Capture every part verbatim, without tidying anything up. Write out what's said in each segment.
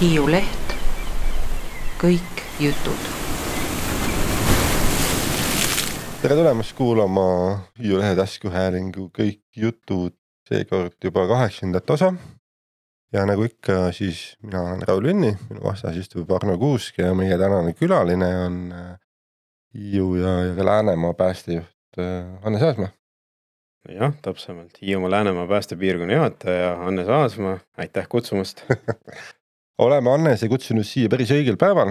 Hiiu Leht, kõik jutud. Tere tulemast kuulama Hiiu Lehe taskuhäälingu kõik jutud, seekord juba kaheksandat osa. Ja nagu ikka, siis mina olen Raul Linni, minu vastas istub Arno Kuusk ja meie tänane külaline on Hiiu ja, ja Läänemaa päästejuht Hannes Aasma. Jah, täpsemalt. Hiiumaa Läänemaa päästepiirkonna juhataja Hannes Aasma. Aitäh kutsumast. Oleme Hannese kutsunud siia päris õigel päeval.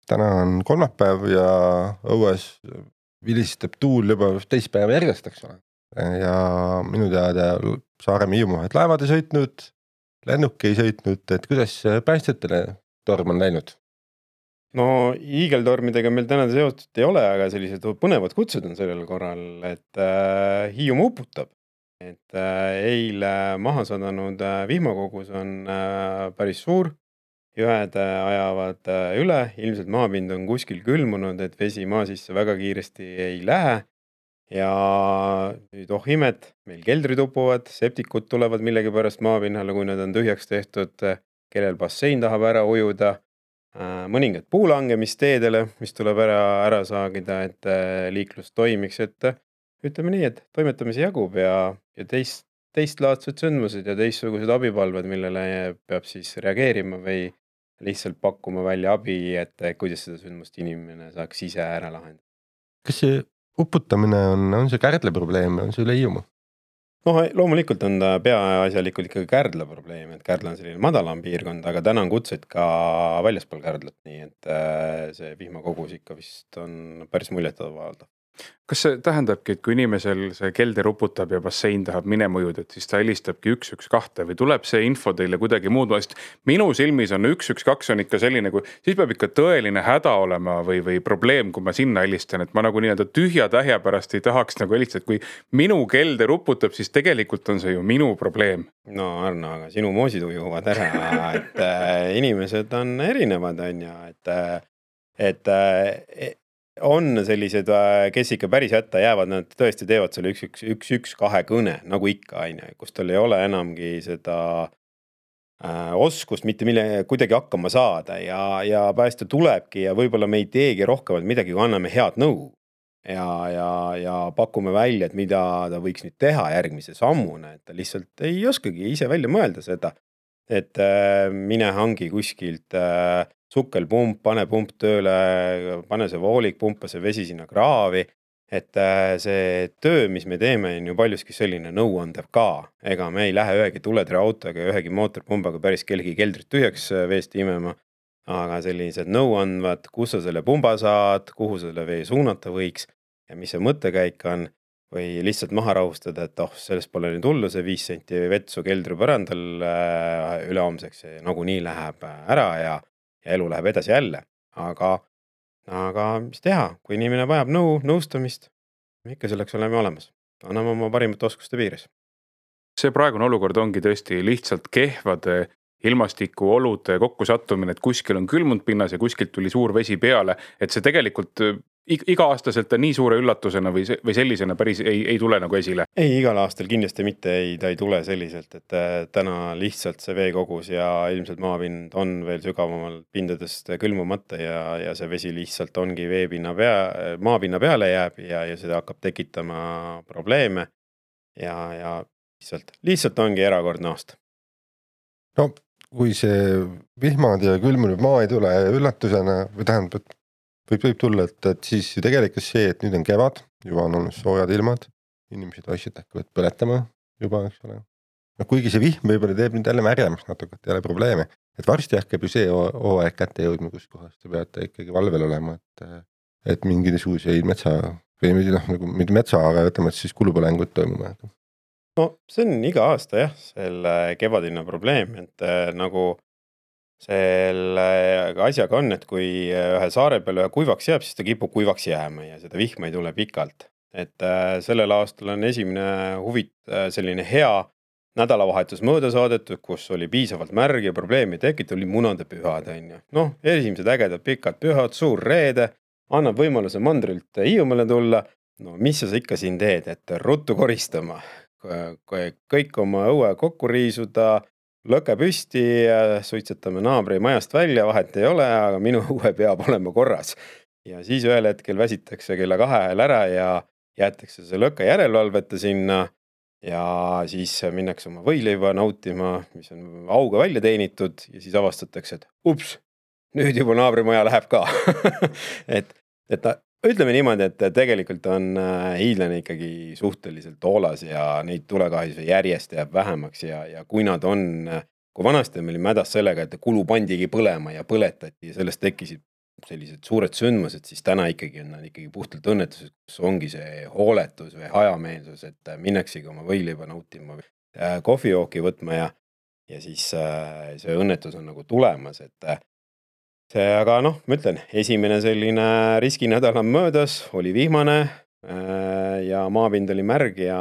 Täna on kolmapäev ja õues vilistab tuul juba teist päeva järjest, eks ole. Ja minu teada Saaremaa Hiiumaad laevad ei sõitnud, lennuk ei sõitnud, et kuidas päästjatele torm on läinud? No hiigeltormidega meil täna seotud ei ole, aga sellised põnevad kutsud on sellel korral, et äh, Hiiumaa uputab. Et äh, eile maha sadanud äh, vihmakogus on äh, päris suur, jõed äh, ajavad äh, üle, ilmselt maapind on kuskil külmunud, et vesi maa sisse väga kiiresti ei lähe. Ja nüüd oh imet, meil keldrid upuvad, septikud tulevad millegi pärast maapinnale, kui nad on tühjaks tehtud, kellel bassein tahab ära ujuda. Mõningad puulangemisteedele, mis tuleb ära, ära saagida, et liiklus toimiks, et ütleme nii, et toimetamisi jagub ja, ja teist, teist laadsed sündmused ja teistsugused abipalved, millele peab siis reageerima või lihtsalt pakkuma välja abi, et kuidas seda sündmust inimene saaks ise ära lahendada. Kas see uputamine on, on see Kärdla probleem, on see üle Hiiumaa? No loomulikult on ta peaasjalikult ikkagi Kärdla probleem, et Kärdla on selline madalam piirkond, aga täna on kutseid ka väljaspool Kärdlat, nii et see vihmakogus ikka vist on päris muljetavavaldav. Kas see tähendabki, et kui inimesel see kelder uputab ja bassein tahab minema ujuda, et siis ta helistabki üks üks kaks või tuleb see info teile kuidagi muud vast? Minu silmis on üks üks kaks on ikka selline, kui siis peab ikka tõeline häda olema või, või probleem, kui ma sinna helistan, et ma nagu nii-öelda tühja tähja pärast ei tahaks nagu helistada, et kui minu kelder uputab, siis tegelikult on see ju minu probleem. No Arno, aga sinu moosid ujuvad ära, et äh, inimesed on erinevad, on ja, et, et äh, on sellised, kes ikka päris hätta jäävad, nad tõesti teevad selle üks üks üks üks kahe kõne, nagu ikka, aine, kus tal ei ole enamgi seda äh, oskust mitte mille kuidagi hakkama saada ja, ja päästja tulebki ja võib-olla me ei teegi rohkemalt midagi, kui anname head nõu ja, ja, ja pakume välja, et mida ta võiks nüüd teha järgmise sammuna, et ta lihtsalt ei oskagi ise välja mõelda seda, et äh, mine hangi kuskilt äh, sukkelpump, pane pump tööle, pane see voolik, pumpa see vesi sinna kraavi, et see töö, mis me teeme, on ju paljuski selline nõuandev ka. Ega me ei lähe ühegi tuletre autoga ja ühegi mootorpumbaga päris kellegi keldrit tühjaks veest imema, aga sellised nõuandvad, kus sa selle pumba saad, kuhu selle vee suunata võiks ja mis see mõttekäik on, või lihtsalt maha rahustada, et oh, sellest pole nüüd hullu, see viis senti vetsu keldri põrandal ülehomseks ja nagu nii läheb ära ja ja elu läheb edasi jälle, aga, aga mis teha, kui inimene vajab nõu, nõustamist, ikka selleks oleme olemas. Anname oma parimate oskuste piires. See praegune olukord ongi tõesti lihtsalt kehvade ilmastiku olude kokku sattumine, et kuskil on külmunud pinnas ja kuskilt tuli suur vesi peale, et see tegelikult iga aastaselt nii suure üllatusena või, se- või sellisena päris ei, ei tule nagu esile? Ei, igal aastal kindlasti mitte ei, ta ei tule selliselt, et täna lihtsalt see veekogus ja ilmselt maapind on veel sügavamal pindadest külmumata ja, ja see vesi lihtsalt ongi veepinna pea, maapinna peale jääb ja, ja seda hakkab tekitama probleeme ja, ja lihtsalt, lihtsalt ongi erakordne aasta. No, kui see vihmad ja külmunud maa ei tule üllatusena või tähendab, et võib, võib tulla, et, et siis ju tegelikult see, et nüüd on kevad, juba on olnud soojad ilmad, inimesed asjad hakkavad põletama juba, eks ole. No kuigi see vihm võib-olla teeb nüüd jälle märjemaks natuke, et jälle probleeme, et varsti hakkab ju see hooaeg kätte jõudma, kus kohast te peate ikkagi valvel olema, et, et mingisuguseid metsa, või noh, nagu mitte metsa, aga ütleme, et siis kulupõlengud toimuma. No see on iga aasta jah, selle kevadine probleem, et nagu selle asjaga on, et kui ühe saare peal ühe kuivaks jääb, siis ta kipub kuivaks jääma ja seda vihma ei tule pikalt. Et sellel aastal on esimene huvit selline hea nädalavahetus mööda saadetud, kus oli piisavalt märg ja probleemi tekit, oli munade pühad. Noh, esimesed ägedad pikad pühad, suur reede, annab võimaluse mandrilt Hiiumaale tulla. No mis sa ikka siin teed, et ruttu koristama, kõik oma õue kokku riisuda, lõke püsti, suitsetame naabri majast välja, vahet ei ole, aga minu õue peab olema korras. Ja siis ühel hetkel väsitakse kella kahe ajal ära ja jäetakse see lõkke järelevalvete sinna ja siis minnakse oma võileiva nautima, mis on auga välja teenitud ja siis avastatakse, et ups, nüüd juba naabrimaja läheb ka. et, et ta, ütleme niimoodi, et tegelikult on hiidlane ikkagi suhteliselt hoolas ja neid tulekahjusi järjest jääb vähemaks ja, ja kui nad on, kui vanasti meil oli mädas sellega, et kulu pandigi põlema ja põletati ja sellest tekkisid sellised suured sündmused, siis täna ikkagi on nad ikkagi puhtalt õnnetused, kus ongi see hooletus või hajameelsus, et minnaksegi oma võileiva nautima või kohvijooki võtma ja, ja siis see õnnetus on nagu tulemas, et see, aga noh, ma ütlen, esimene selline riskinädal on möödas, oli vihmane ja maapind oli märg ja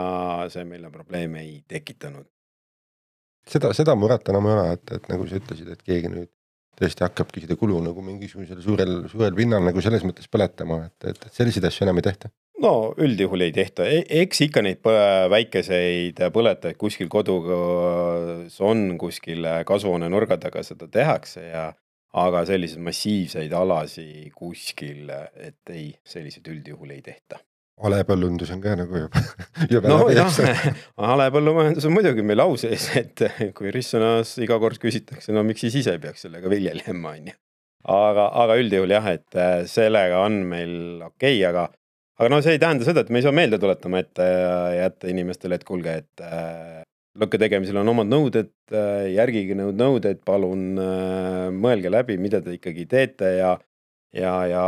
see meile probleeme ei tekitanud. Seda, seda muret enam ei ole, et, et nagu sa ütlesid, et keegi nüüd tõesti hakkabki seda kulu nagu mingisugusel suurel, suurel pinnal nagu selles mõttes põletama, et, et, et selliseid asju enam ei tehta. No üldjuhul ei tehta, eks ikka neid väikeseid põletajaid kuskil kodus on, kuskil kasvuhoone nurga taga seda tehakse ja aga sellised massiivseid alasi kuskil, et ei, sellised üldjuhul ei tehta. Alepõllundus on ka nagu juba, juba no läbi. jah, alepõllumajandus on muidugi meil au sees, et kui Rissonas iga kord küsitakse, no miks siis ise peaks sellega viljelema, on ju. Aga, aga üldjuhul jah, et sellega on meil okei, okay, aga, aga no see ei tähenda seda, et me ei saa meelde tuletama, et jätta inimestele, et kuulge, et lõkke tegemisel on omad nõuded, järgige nõud nõuded, palun mõelge läbi, mida te ikkagi teete ja Ja, ja,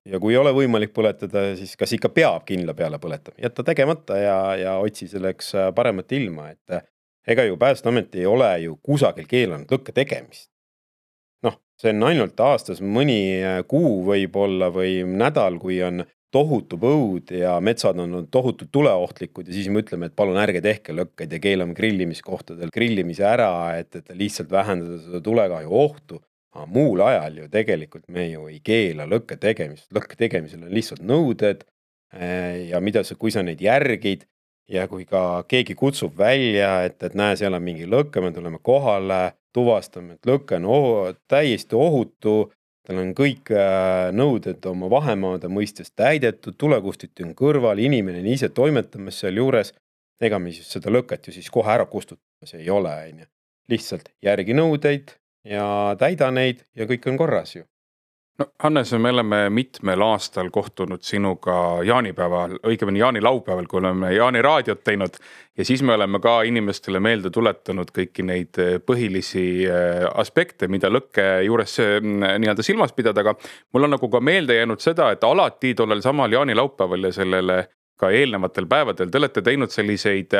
ja kui ei ole võimalik põletada, siis kas ikka peab kindla peale põletama, jätta tegemata ja, ja otsi selleks paremat ilma, et ega ju Päästeamet ei ole ju kusagil keelanud lõkke tegemist. Noh, see on ainult aastas mõni kuu võib-olla või nädal, kui on tohutu põud ja metsad on tohutult tuleohtlikud ja siis me ütleme, et palun ärge tehke lõkkeid ja keelame grillimiskohtadel grillimise ära, et, et lihtsalt vähendada seda tulekahju ohtu. Aga muul ajal ju tegelikult me ju ei keela lõkke tegemist. Lõkke tegemisel on lihtsalt nõuded ja mida sa, kui sa neid järgid ja kui ka keegi kutsub välja, et, et näe, seal on mingi lõkke, me tuleme kohale, tuvastame, et lõkke on ohu, täiesti ohutu, tal on kõik nõuded oma vahemaade mõistes täidetud, tulekustiti on kõrval, inimene on ise toimetamas seal juures, ega me siis seda lõket ju siis kohe ära kustutamas ei ole, on ju. Lihtsalt järgi nõudeid ja täida neid ja kõik on korras ju. No Hannes, me oleme mitmel aastal kohtunud sinuga jaanipäeval, õigemini jaani laupäeval, kui oleme jaani raadiot teinud ja siis me oleme ka inimestele meelde tuletanud kõiki neid põhilisi aspekte, mida lõkke juures nii-öelda silmas pidada, aga mul on nagu ka meelde jäänud seda, et alati tollel samal jaani laupäeval ja sellele ka eelnevatel päevadel te olete teinud selliseid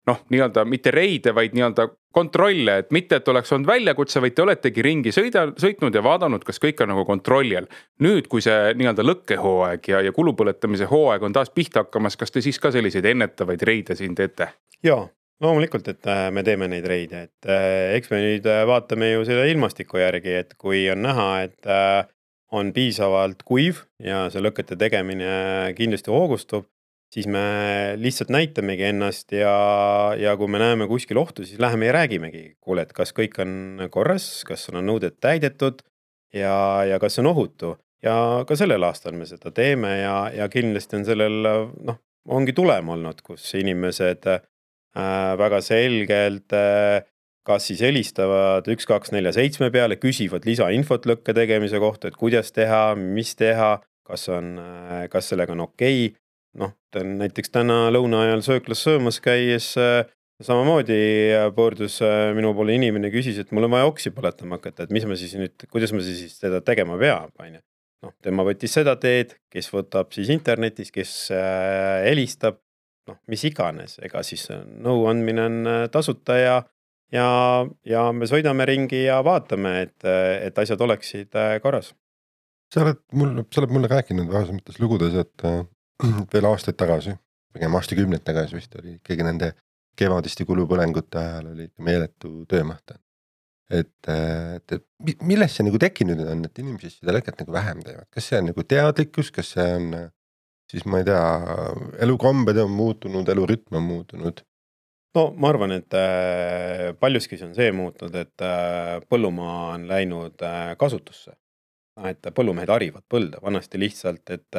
noh, nii-öelda mitte reide, vaid nii-öelda kontrolle, et mitte, et oleks olnud väljakutse, vaid te oletegi ringi sõida, sõitnud ja vaadanud, kas kõik on nagu kontrolli all. Nüüd, kui see nii-öelda lõkkehooaeg ja, ja kulupõletamise hooaeg on taas pihta hakkamas, kas te siis ka selliseid ennetavaid reide siin teete? Jaa, loomulikult, et me teeme neid reide, et eks me nüüd vaatame ju selle ilmastiku järgi, et kui on näha, et on piisavalt kuiv ja see lõkete tegemine kindlasti hoogustub, siis me lihtsalt näitamegi ennast ja, ja kui me näeme kuskil ohtu, siis läheme ja räägimegi, kuule, et kas kõik on korras, kas on nõuded täidetud ja, ja kas on ohutu. Ja ka sellel aastal me seda teeme ja, ja kindlasti on sellel, noh, ongi tulem olnud, kus inimesed äh, väga selgelt äh, kas siis helistavad üks kaks neli seitse peale, küsivad lisainfot lõkke tegemise kohta, et kuidas teha, mis teha, kas, on, äh, kas sellega on okei. Noh, näiteks täna lõuna ajal sööklas söömas käies samamoodi pöördus minu poole inimene küsis, et mul on vaja oksi põletama hakata, et mis ma siis nüüd, kuidas ma siis seda tegema peab, on ju. Noh, tema võttis seda teed, kes võtab siis internetis, kes helistab, noh, mis iganes, ega siis nõu andmine on tasuta ja, ja, ja me sõidame ringi ja vaatame, et, et asjad oleksid korras. Sa oled, mul, sa oled mulle rääkinud vähesemates lugudes, et veel aastaid tagasi, pigem aastakümneid tagasi vist oli ikkagi nende kevadiste kulupõlengute ajal oli meeletu töömaht. Et, et, et millest see nagu tekkinud on, et inimesed seda lõket nagu vähem teevad? Kas see on nagu teadlikkus, kas see on siis ma ei tea, elukombed on muutunud, elurütm on muutunud? no ma arvan, et äh, paljuski see on see muutnud, et äh, põllumaa on läinud äh, kasutusse. Et põllumehed harivad põlda vanasti lihtsalt, et,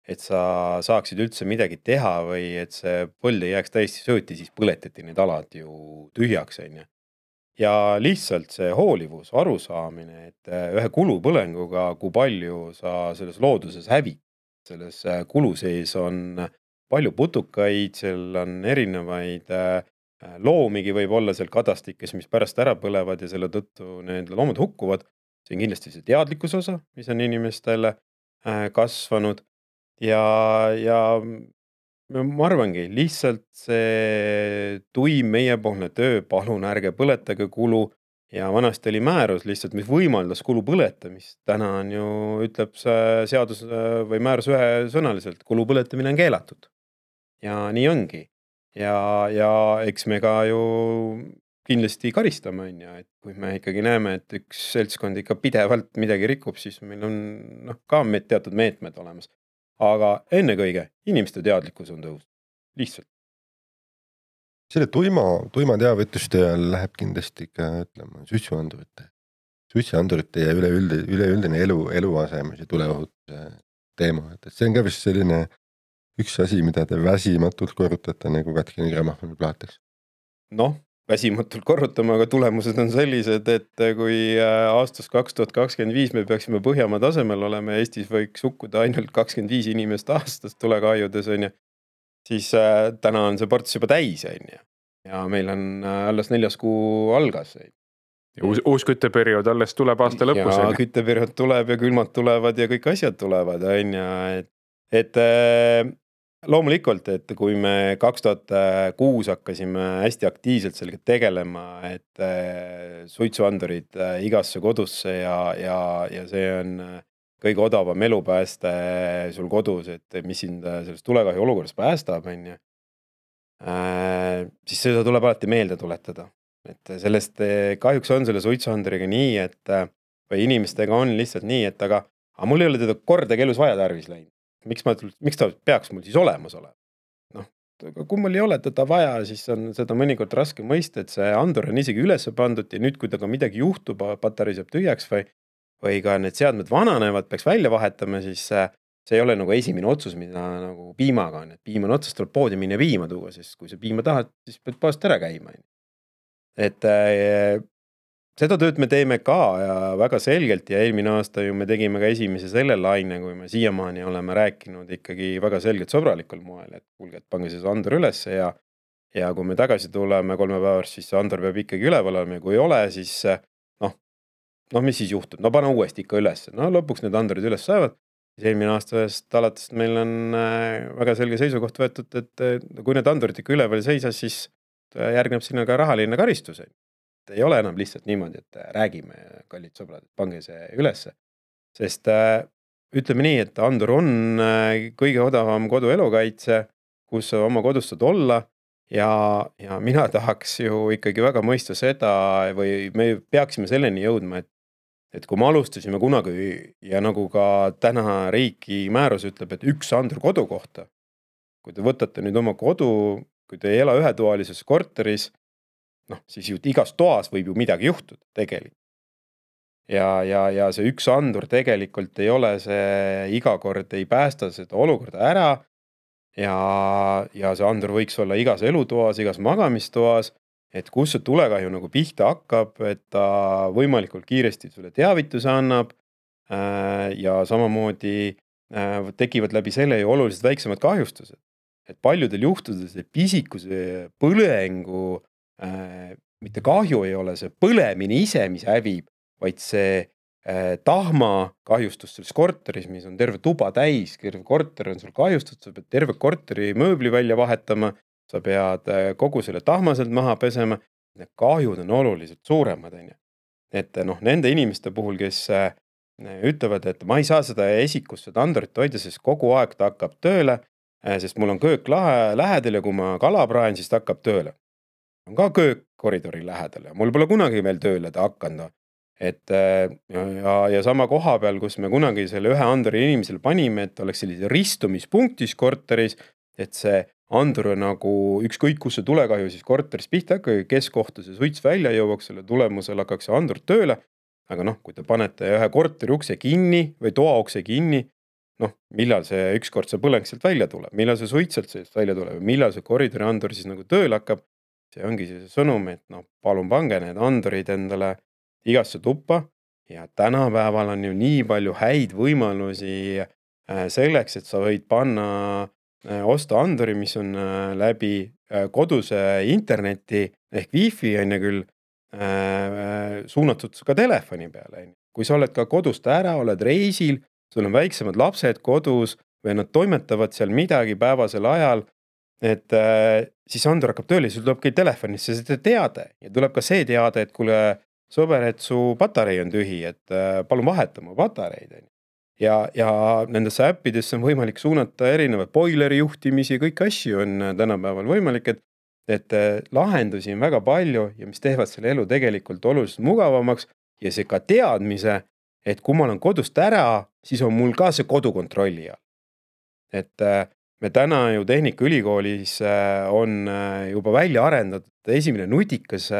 et sa saaksid üldse midagi teha või et see põld ei jääks täiesti sööti, siis põletati need alad ju tühjaks. On ju. Ja lihtsalt see hoolivus, arusaamine, et ühe kulupõlenguga, kui palju sa selles looduses hävid. Selles kulu sees on palju putukaid, seal on erinevaid loomigi võib olla seal kadastikes, mis pärast ära põlevad ja selle tõttu need loomad hukkuvad. See on kindlasti see teadlikkus osa, mis on inimestele kasvanud ja, ja ma arvangi, lihtsalt see tuim meiepoolne töö, palun ärge põletage kulu ja vanasti oli määrus lihtsalt, mis võimaldas kulu põletamist. Täna on ju, ütleb see seadus või määrus ühesõnaliselt, kulu põletamine on keelatud. Ja nii ongi. Ja, ja eks me ka ju kindlasti karistame, on ja, et kui me ikkagi näeme, et üks seltskond ikka pidevalt midagi rikub, siis meil on noh, ka teatud meetmed olemas. Aga enne kõige, inimeste teadlikkus on tõus. Lihtsalt. Selle tuima, tuima teavituste ajal läheb kindlasti ka, ütleme, suitsuandurite. Suitsuandurite ja üleüldi, üleüldine elu, eluasemus ja tuleohutuse teema. Et see on ka vist selline üks asi, mida te väsimatult korrutate nagu Katkini grammofoni plaateks. Noh, väsimatult korrutama, aga tulemused on sellised, et kui aastas kaks tuhat kakskümmend viis me peaksime Põhjamaa tasemel olema ja Eestis võiks hukkuda ainult kakskümmend viis inimest aastast tulekahjudes, on ju, siis täna on see ports juba täis, on ju. Ja meil on alles neljas kuu algas. Uus, uus kütteperiood alles tuleb aasta lõpus. Ja kütteperiood tuleb ja külmad tulevad ja kõik asjad tulevad, on ju, et, et loomulikult, et kui me kaks tuhat kuus hakkasime hästi aktiivselt sellega tegelema, et suitsuandurid igasse kodusse ja, ja, ja see on kõige odavam elupääste sul kodus, et mis sind sellest tulekahju olukorras päästab, on ju, siis seda tuleb alati meelde tuletada. Et sellest kahjuks on selle suitsuanduriga nii, et või inimestega on lihtsalt nii, et aga, aga mul ei ole teda kordagi elus vaja tarvis läinud. Miks, ma, miks ta peaks mul siis olemas olema? Noh, kui mul ei ole teda vaja, siis on seda mõnikord raske mõista, et see andur on isegi üles pandud ja nüüd, kui taga midagi juhtub, patarii saab tühjaks või, või ka need seadmed vananevad, peaks välja vahetama, siis see ei ole nagu esimene otsus, mida nagu piimaga on. Et piim on otsast, tuleb poodi minna piima tuua, sest kui sa piima tahad, siis pead poest ära käima. Et äh, seda tööd me teeme ka ja väga selgelt ja eelmine aasta ju me tegime ka esimese selle laine, kui me siiamaani oleme rääkinud ikkagi väga selgelt sõbralikul moel, et kuulge, et pange see andur üles ja, ja kui me tagasi tuleme kolme päevast, siis see andur peab ikkagi üleval olema ja kui ei ole, siis noh, noh, mis siis juhtub? No pane uuesti ikka üles. No lõpuks need andurid üles saavad. Siis eelmine aastast alates meil on väga selge seisukoht võetud, et kui need andurid ikka üleval seisas, siis järgneb sinna ka rahaline karistus. Ei ole enam lihtsalt niimoodi, et räägime, kallid sõbrad, et pange see ülesse. Sest äh, ütleme nii, et andur on äh, kõige odavam kodu elukaitse, kus sa oma kodus saad olla ja, ja mina tahaks ju ikkagi väga mõista seda või me peaksime selleni jõudma, et, et kui me alustasime kunagi ja nagu ka täna riiki määrus ütleb, et üks andur kodu kohta, kui te võtate nüüd oma kodu, kui te ei ela ühetoalises korteris, noh, siis ju igas toas võib ju midagi juhtuda tegelikult. Ja, ja, ja see üks andur tegelikult ei ole see iga kord ei päästa seda olukorda ära ja, ja see andur võiks olla igas elutoas, igas magamistoas, et kus see tulekahju nagu pihta hakkab, et ta võimalikult kiiresti sulle teavituse annab ja samamoodi tekivad läbi selle ju oluliselt väiksemad kahjustused. Et paljudel juhtudel see pisikuse põlengu Äh, mitte kahju ei ole see põlemine ise, mis hävib, vaid see äh, tahma kahjustus selles korteris, mis on terve tuba täis, terve korter on sul kahjustus, sa pead terve korteri mööbli välja vahetama, sa pead äh, kogu selle tahmaselt maha pesema, need kahjud on oluliselt suuremad. Et noh, nende inimeste puhul, kes äh, ütlevad, et ma ei saa seda esikust, seda andurit hoida, sest kogu aeg ta hakkab tööle, äh, sest mul on köök lahe, lähedal ja kui ma kala praen, siis ta hakkab tööle. On ka köök koridori lähedal ja mul pole kunagi veel tööle ta hakanud. Et ja, ja sama koha peal, kus me kunagi selle ühe anduri inimesele panime, et oleks sellise ristumispunktis korteris, et see andur nagu ükskõik kus see tulekahju siis korteris pihta hakkab, kes kohta see suits välja jõuaks, selle tulemusel hakkaks see andur tööle. Aga noh, kui te panete ühe korteri ukse kinni või toa ukse kinni, noh, millal see ükskord see põleng sealt välja tuleb, millal see suits sealt sealt välja tuleb, millal see koridori andur siis nagu tööle hakkab, see ongi see sõnum, et noh, palun pange need andurid endale igasse tuppa ja tänapäeval on ju nii palju häid võimalusi selleks, et sa võid panna, osta anduri, mis on läbi koduse interneti ehk wifi on ja küll suunatud ka telefoni peale. Kui sa oled ka kodust ära, oled reisil, sul on väiksemad lapsed kodus või nad toimetavad seal midagi päevasel ajal, et siis andur hakkab tööle, sul tuleb kõik telefonisse see teade ja tuleb ka see teade, et kuule sõber, et su patarei on tühi, et palun vaheta mu patareid. Ja, ja nendesse äppidesse on võimalik suunata erinevad boileri juhtimisi, kõik asju on tänapäeval võimalik, et et lahendusi on väga palju ja mis teevad selle elu tegelikult oluliselt mugavamaks ja see ka teadmise, et kui ma olen kodust ära, siis on mul ka see kodu kontrolli all. Et me täna ju Tehnikaülikoolis on juba välja arendatud esimene nutikas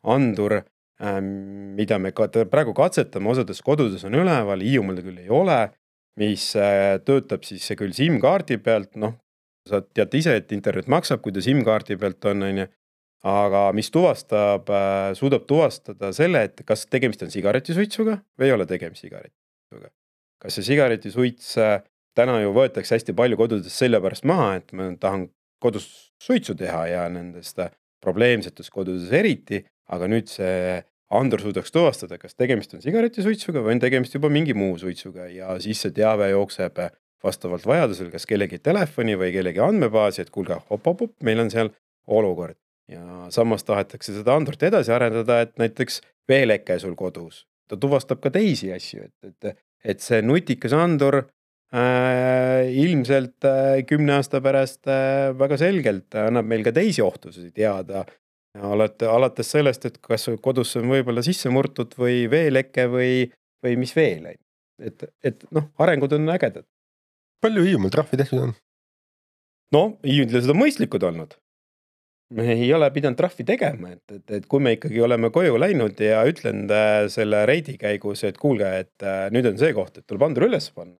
andur, mida me praegu katsetame, osades kodudes on üleval, Hiiumaal küll ei ole, mis töötab siis küll SIM-kaardi pealt, noh, sa tead ise, et internet maksab, kui ta SIM-kaardi pealt on, on, aga mis tuvastab, suudab tuvastada selle, et kas tegemist on sigaretisuitsuga või ei ole tegemist sigaretisuitsuga. Kas see sigaretisuits täna ju võetakse hästi palju kodudes selle pärast maha, et ma tahan kodus suitsu teha ja nendest probleemsetus kodudes eriti, aga nüüd see andur suudaks tuvastada, kas tegemist on sigaretisuitsuga või on tegemist juba mingi muu suitsuga ja siis see teave jookseb vastavalt vajadusel, kas kellegi telefoni või kellegi andmebaasi, et kuulge, hop-hop-hop, meil on seal olukord. Ja samas tahetakse seda andurt edasi arendada, et näiteks veeleke sul kodus. Ta tuvastab ka teisi asju, et, et, et see nutikas andur äh, ilmselt äh, kümne aasta pärast äh, väga selgelt annab meil ka teisi ohtusi teada. Alati, alates sellest, et kas kodus on võib-olla sisse murtud või veeleke või, või mis veel. Et, et noh, arengud on ägedad. Palju Hiiumaal trahvi tehtud on? No, hiiumaal on mõistlikud olnud. Me ei ole pidanud trahvi tegema, et, et, et kui me ikkagi oleme koju läinud ja ütlen selle reidi käigus, et kuulge, et nüüd on see koht, et tuleb andur üles panna.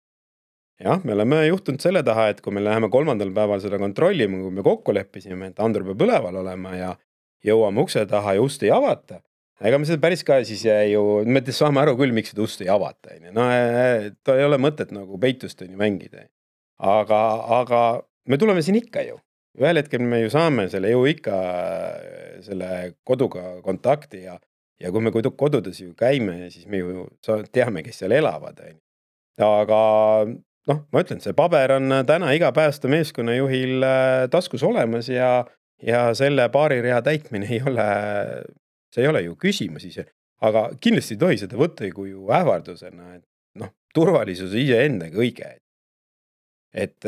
Jah, me oleme juhtunud selle taha, et kui me läheme kolmandal päeval seda kontrollima, kui me kokku leppisime, et andur peab üleval olema ja jõuame ukse taha ja ust ei avata. Ega me seda päris ka siis ju, me saame aru küll, miks seda ust ei avata. No ta ei ole mõtet nagu peitust on ju mängida. Aga, aga me tuleme siin ikka ju. Ühel hetkel me ju saame selle ju ikka selle koduga kontakti ja, ja kui me kodudes ju käime, siis me ju teame, kes seal elavad. Aga noh, ma ütlen, see paber on täna iga päästa meeskonnajuhil taskus olemas ja, ja selle paari rea täitmine ei ole... See ei ole ju küsimus ise, aga kindlasti ei tohi seda võtta kui ju ähvardusena, et noh, turvalisus ise enda kõige. Et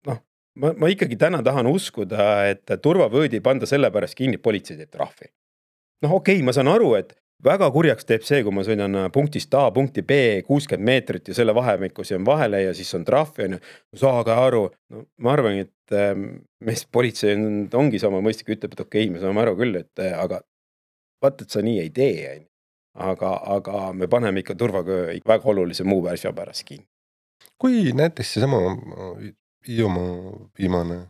noh, ma, ma ikkagi täna tahan uskuda, et turvavöödi panda selle pärast kinni politsei teeb trahvi. Noh, okei, okay, ma saan aru, et väga kurjaks teeb see, kui ma sõidan punktist A, punkti B kuuskümmend meetrit ja selle vahemikus on vahele ja siis on trahv ja saage aru. No, ma arvan, et mees politsei on, ongi sama mõistlik, ütleb, et okei, okay, me saame aru küll, et aga vaat, et sa nii ei tee, aga, aga me paneme ikka turvaköö väga olulise muu asja pärast kinni. Kui näiteks see sama Hiiumaa viimane,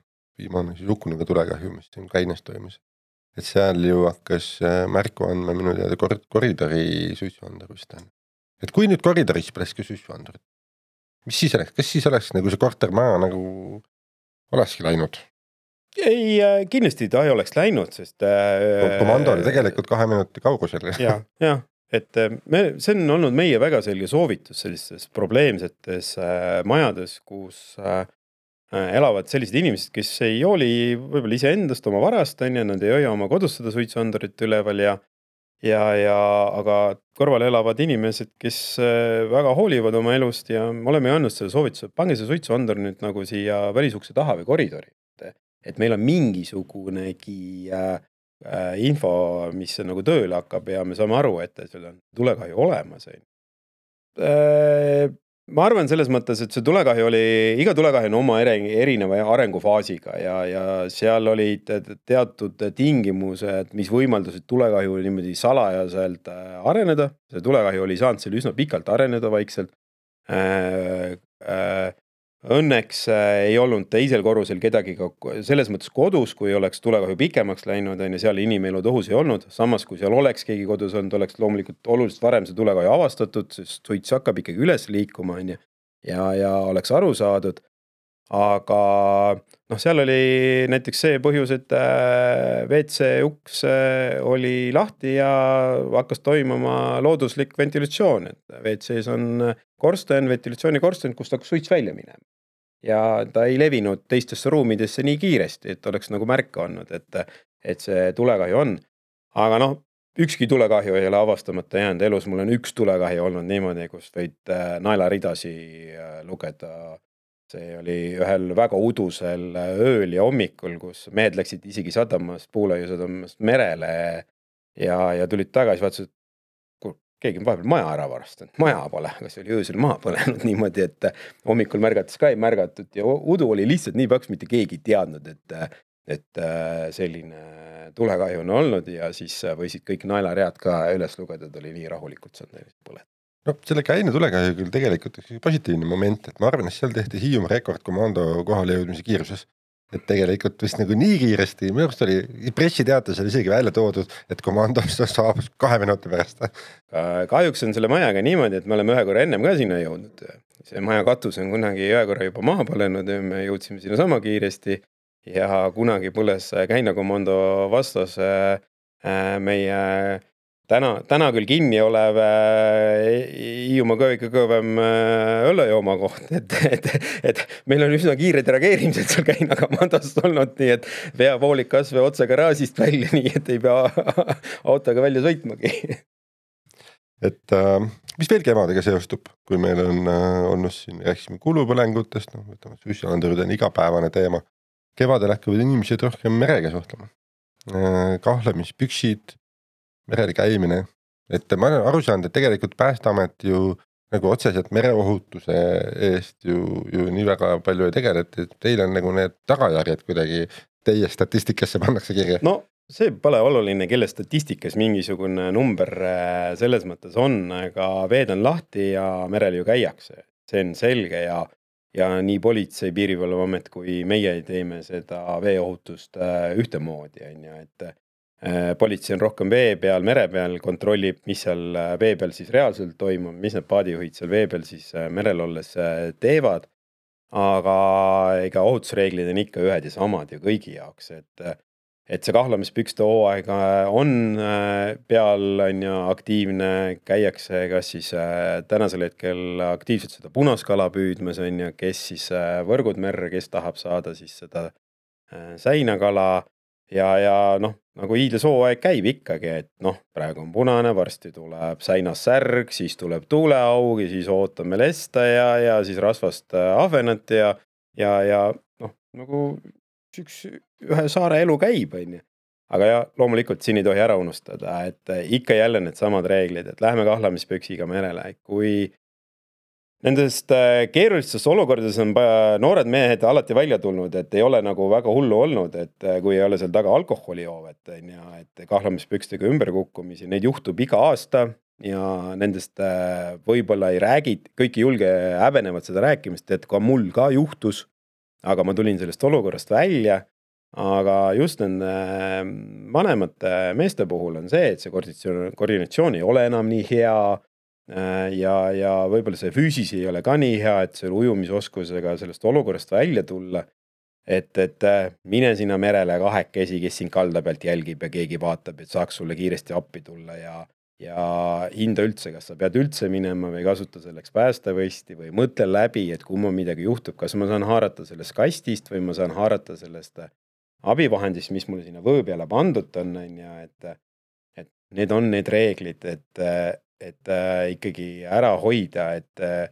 viimane siis hukkunuga tulekahju, mis siin Käines toimus, et seal ju hakkas märku andma minu teada koridori suitsuandur vist on. Et kui nüüd koridoris põleski suitsuandur, mis siis oleks, kas siis oleks nagu see kortermaja nagu olekski läinud? Ei, kindlasti ta ei oleks läinud, sest... Komando oli tegelikult kahe minuti kaugusel. Ja, ja, et me, see on olnud meie väga selge soovitus sellistes probleemsetes majades, kus elavad sellised inimesed, kes ei hooli võib-olla ise endast oma varast, on ja nad ei hoia oma kodus seda suitsuandurit üleval ja, ja, ja aga kõrval elavad inimesed, kes väga hoolivad oma elust ja oleme andnud selle soovituse, pange see suitsuandur nüüd nagu siia välisukse taha või koridori. Et meil on mingisugunegi äh, äh, info, mis nagu tööle hakkab ja me saame aru, et seal on tulekahju olemas. Äh, ma arvan selles mõttes, et see tulekahju oli, iga tulekahju on oma erineva arengufaasiga ja, ja seal olid teatud tingimused, mis võimaldasid tulekahju niimoodi salajaselt areneda. See tulekahju oli saanud seal üsna pikalt areneda vaikselt. Äh, äh, Õnneks ei olnud teisel korrusel kedagi selles mõttes kodus, kui oleks tulekahju pikemaks läinud, on ja seal inimelud õhus ei olnud. Samas, kui seal oleks keegi kodus olnud, oleks loomulikult oluliselt varem see tulekahju avastatud, sest suits hakkab ikkagi üles liikuma on ja, ja, ja oleks aru saadud. Aga noh, seal oli näiteks see põhjus, et W C uks oli lahti ja hakkas toimuma looduslik ventilatsioon. Et W C-s on korsten, ventilatsiooni korsten, kust hakkas suits välja minema. Ja ta ei levinud teistesse ruumidesse nii kiiresti, et oleks nagu märka olnud, et, et see tulekahju on. Aga noh, ükski tulekahju ei ole avastamata jäänud elus. Mul on üks tulekahju olnud niimoodi, kus võid naelaridasi lugeda. See oli ühel väga udusel ööl ja hommikul, kus mehed läksid isegi sadamast, puulaiu sadamast merele ja, ja tulid tagasi, vaatasid, keegi on vahepeal maja ära varastanud, maja pole, aga see oli öösel maha põlenud niimoodi, et hommikul märgates ka ei märgatud ja udu oli lihtsalt nii paks, mitte keegi ei teadnud, et, et selline tulekahju on olnud ja siis võisid kõik naelaread ka üles lugeda, et oli nii rahulikult saanud põled. No selle käine tulekahju küll tegelikult üks positiivne moment, et ma arvan, et seal tehti Hiiumaa rekordkomando kohale jõudmise kiiruses. Et tegelikult vist nagu nii kiiresti, minu arust oli pressiteates oli isegi välja toodud, et komandos saabus kahe minuti pärast. Kahjuks on selle majaga niimoodi, et me oleme ühe korra ennem ka sinna jõudnud. See maja katus on kunagi ühe korra juba maha põlenud ja me jõudsime sinna sama kiiresti ja kunagi põles käinakomando vastas meie Täna, täna küll kinni olev Hiiumaa kõige kõvem õllejooma koht, et, et, et meil on üsna kiired reageerimised seal käinakomandost olnud, nii et veapoolik kasve otse garaažist välja, nii et ei pea autoga välja sõitmagi. Et äh, mis veel kevadega seostub, kui meil on äh, olnud siin, rääkisime kulupõlengutest, no, võtame suissalandurud on igapäevane teema. Kevadel hakkavad inimesed rohkem merega suhtlema. Äh, kahlemispüksid, merel käimine, et ma olen aru saanud, et tegelikult Päästeamet ju nagu otseselt mereohutuse eest ju, ju nii väga palju ei tegeleta, et teil on nagu need tagajärjed kuidagi teie statistikasse pannakse kirja. No see pole oluline, kelle statistikas mingisugune number selles mõttes on, aga veed on lahti ja merel ju käiakse. See on selge ja, ja nii politsei, piirivalveamet kui meie teeme seda veeohutust ühtemoodi, on ju, et politsei on rohkem vee peal, mere peal, kontrollib, mis seal vee peal siis reaalselt toimub, mis need paadijuhid seal vee peal siis merel olles teevad, aga ega ohutusreeglid on ikka ühed ja samad ju kõigi jaoks, et, et see kahlamispükste hooaega on peal, on ju aktiivne, käiakse kas siis tänasel hetkel aktiivselt seda punaskala püüdmas, on ju, kes siis võrgud merre, kes tahab saada siis seda säinakala ja, ja noh, nagu hiidlasooaeg käib ikkagi, et noh, praegu on punane, varsti tuleb säinas särg, siis tuleb tuuleaug ja siis ootame lesta ja, ja siis rasvast ahvenat ja, ja, ja noh, nagu üks, ühe saare elu käib, on ju. Aga ja loomulikult siin ei tohi ära unustada, et ikka jälle need samad reeglid, et lähme kahlamispüksiga merele, kui nendest keerulistest olukordades on noored mehed alati välja tulnud, et ei ole nagu väga hullu olnud, et kui ei ole seal taga alkoholijoovet, ja et kahlamispükstega ümberkukkumisi, neid juhtub iga aasta ja nendest võib-olla ei räägid, kõik ei julge häbenevad seda rääkimist, et ka mul ka juhtus, aga ma tulin sellest olukorrast välja, aga just nende vanemate meeste puhul on see, et see koordinatsioon ei ole enam nii hea, ja, ja võib-olla see füüsis ei ole ka nii hea, et selle ujumisoskusega sellest olukorrast välja tulla, et, et mine sinna merele kahekesi, kes siin kalda pealt jälgib ja keegi vaatab, et saaks sulle kiiresti appi tulla ja, ja hinda üldse, kas sa pead üldse minema või kasuta selleks päästevõsti või mõtle läbi, et kui mul midagi juhtub, kas ma saan haarata sellest kastist või ma saan haarata sellest abivahendist, mis mulle sinna võõ peale pandud on, ja et, et need on need reeglid, et et äh, ikkagi ära hoida, et äh,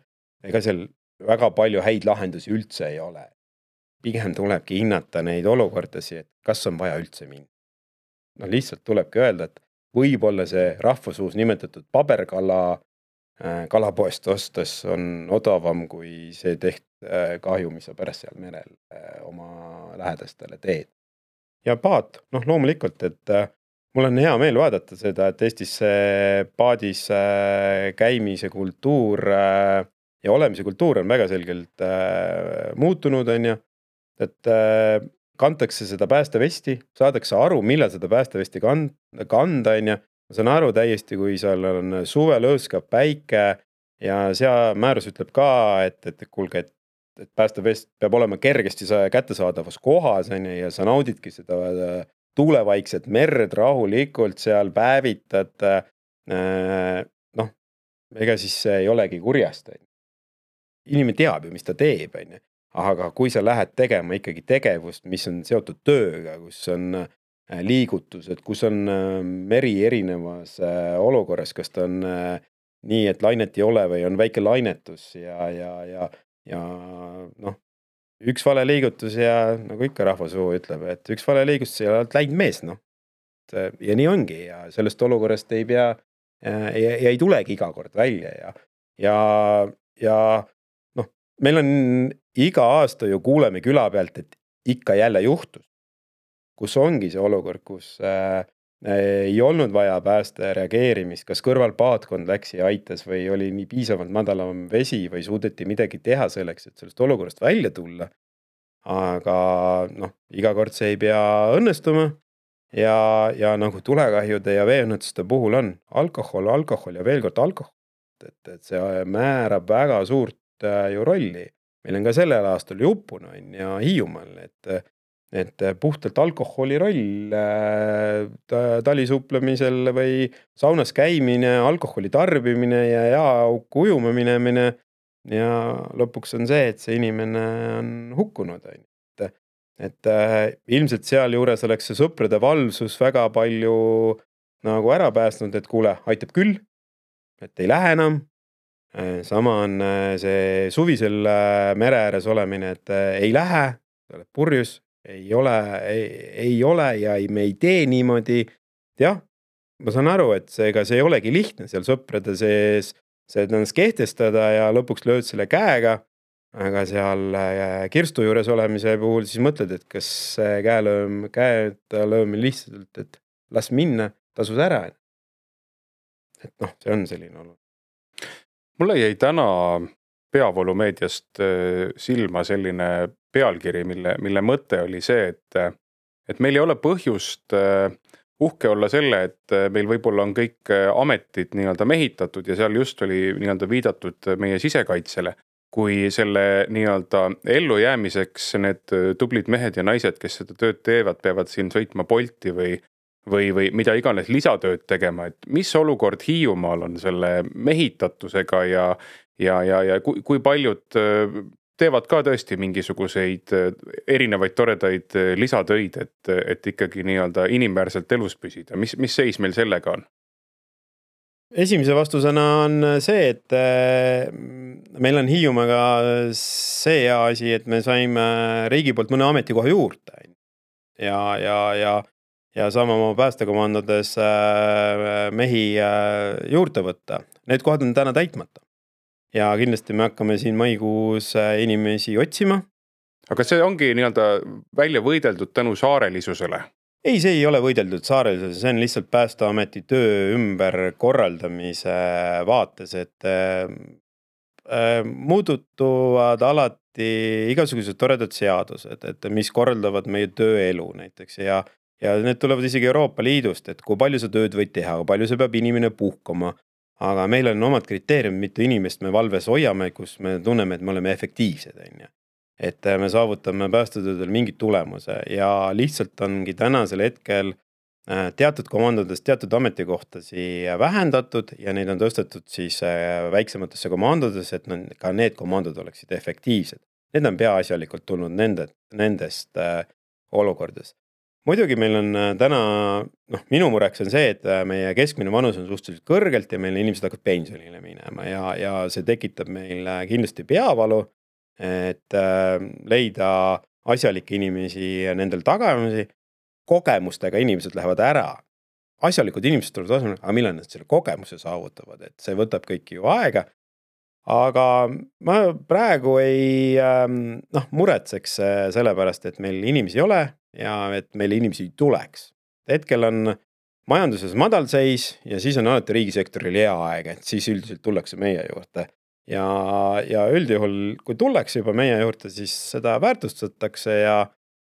ega seal väga palju häid lahendusi üldse ei ole. Pigem tulebki hinnata neid olukordasi, et kas on vaja üldse minna. No lihtsalt tulebki öelda, et võib-olla see rahvasuus nimetatud paberkala kalapoest ostes on odavam kui see teht kahju, mis sa pärast seal merel oma lähedastele teed. Ja paat, noh loomulikult, et mul on hea meel vaadata seda, et Eestis paadis käimise kultuur ja olemise kultuur on väga selgelt muutunud, on ju, et kantakse seda päästevesti, saadakse aru, millal seda päästevesti kanda, on ju. Ma saan aru täiesti, kui seal on suve lõõskab päike ja sea määrus ütleb ka, et, et kulge, et, et päästevest peab olema kergesti kättesaadavas kohas, on ju, ja sa naudidki seda tuulevaikset merd rahulikult seal päevitad. Noh, ega siis see ei olegi kurjast. Inimene teab ju, mis ta teeb, on ju. Aga kui sa lähed tegema ikkagi tegevust, mis on seotud tööga, kus on liigutused, kus on meri erinevas olukorras, kas ta on nii, et lainet ei ole või on väike lainetus ja, ja, ja, ja noh, üks vale liigutus ja nagu ikka rahvasuu ütleb, et üks vale liigutus ja oled läinud mees, noh. Ja nii ongi ja sellest olukorrast ei pea ja, ja ei tulegi iga kord välja ja, ja, ja noh, meil on iga aasta ju kuuleme küla pealt, et ikka jälle juhtus. Kus ongi see olukord, kus äh, ei olnud vaja pääste reageerimist, kas kõrval paatkond läks ja aitas või oli nii piisavalt madalam vesi või suudeti midagi teha selleks, et sellest olukorrast välja tulla. Aga noh, iga kord see ei pea õnnestuma ja, ja nagu tulekahjude ja veeõnnetuste puhul on alkohol, alkohol ja veel kord alkohol. Et, et see määrab väga suurt äh, ju rolli. Meil on ka sellel aastal Jupuna ja Hiiumaal, et et puhtalt alkoholi roll talisuuplemisel või saunas käimine, alkoholi tarbimine ja jaaauku ujuma minemine ja lõpuks on see, et see inimene on hukkunud. Et, et ilmselt seal juures oleks see sõprade valvsus väga palju nagu ära päästnud, et kuule, aitab küll, et ei lähe enam. Sama on see suvisel mere ääres olemine, et ei lähe, oled purjus, ei ole, ei, ei ole ja ei, me ei tee niimoodi. Jah, ma saan aru, et see, ega see ei olegi lihtne seal sõprade sees see ennast kehtestada ja lõpuks lööd selle käega, aga seal kirstu juures olemise puhul siis mõtled, et kas käelööm, käed löömine lihtsalt, et las minna, tasus ära. Et noh, see on selline olnud. Mulle jäi täna peavoolumeediast silma selline pealkiri, mille, mille mõte oli see, et, et meil ei ole põhjust uhke olla selle, et meil võib-olla on kõik ametid nii-öelda mehitatud ja seal just oli nii-öelda viidatud meie sisekaitsele, kui selle nii-öelda ellujäämiseks need tublid mehed ja naised, kes seda tööd teevad, peavad siin sõitma Bolti või, või, või mida iganes lisatööd tegema, et mis olukord Hiiumaal on selle mehitatusega ja, ja, ja, ja kui, kui paljud teevad ka tõesti mingisuguseid erinevaid toredaid lisatöid, et, et ikkagi nii-öelda inimväärselt elus püsida. Mis, mis seis meil sellega on? Esimese vastusena on see, et meil on Hiiumaga see hea asi, et me saime riigi poolt mõne ametikoha juurde. Ja, ja, ja, ja saame oma päästekomandades mehi juurde võtta. Need kohad on täna täitmata. Ja kindlasti me hakkame siin maikuus inimesi otsima. Aga see ongi nii-öelda välja võideldud tänu saarelisusele? Ei, see ei ole võideldud saarelisusele, see on lihtsalt Päästeameti töö ümber korraldamise vaates, et äh, muutuvad alati igasugused toredad seadused, et mis korraldavad meie tööelu näiteks ja, ja need tulevad isegi Euroopa Liidust, et kui palju sa tööd võid teha, kui palju sa peab inimene puhkama. Aga meil on omad kriteeriumid, mitu inimest me valves hoiame, kus me tunneme, et me oleme efektiivsed. Et me saavutame päästetöödel mingit tulemuse ja lihtsalt ongi tänasel hetkel teatud komandodes, teatud ametikohtasi vähendatud ja neid on tõstetud siis väiksematesse komandodes, et ka need komandod oleksid efektiivsed. Need on peaasjalikult tulnud nende, nendest olukordades. Muidugi meil on täna, noh, minu mureks on see, et meie keskmine vanus on suhteliselt kõrgelt ja meil inimesed hakkavad pensionile minema ja, ja see tekitab meil kindlasti peavalu, et leida asjalikke inimesi nendel tagamisi. Kogemustega inimesed lähevad ära asjalikud inimesed tulevad tasemele, aga millal nad selle kogemuse saavutavad, et see võtab kõik ju aega. Aga ma praegu ei noh, muretseks selle pärast, et meil inimesi ei ole ja et meil inimesi tuleks. Hetkel on majanduses madalseis ja siis on alati riigisektoril hea aeg, et siis üldiselt tullakse meie juurde. Ja, ja üldjuhul, kui tullakse juba meie juurde, siis seda väärtustatakse ja,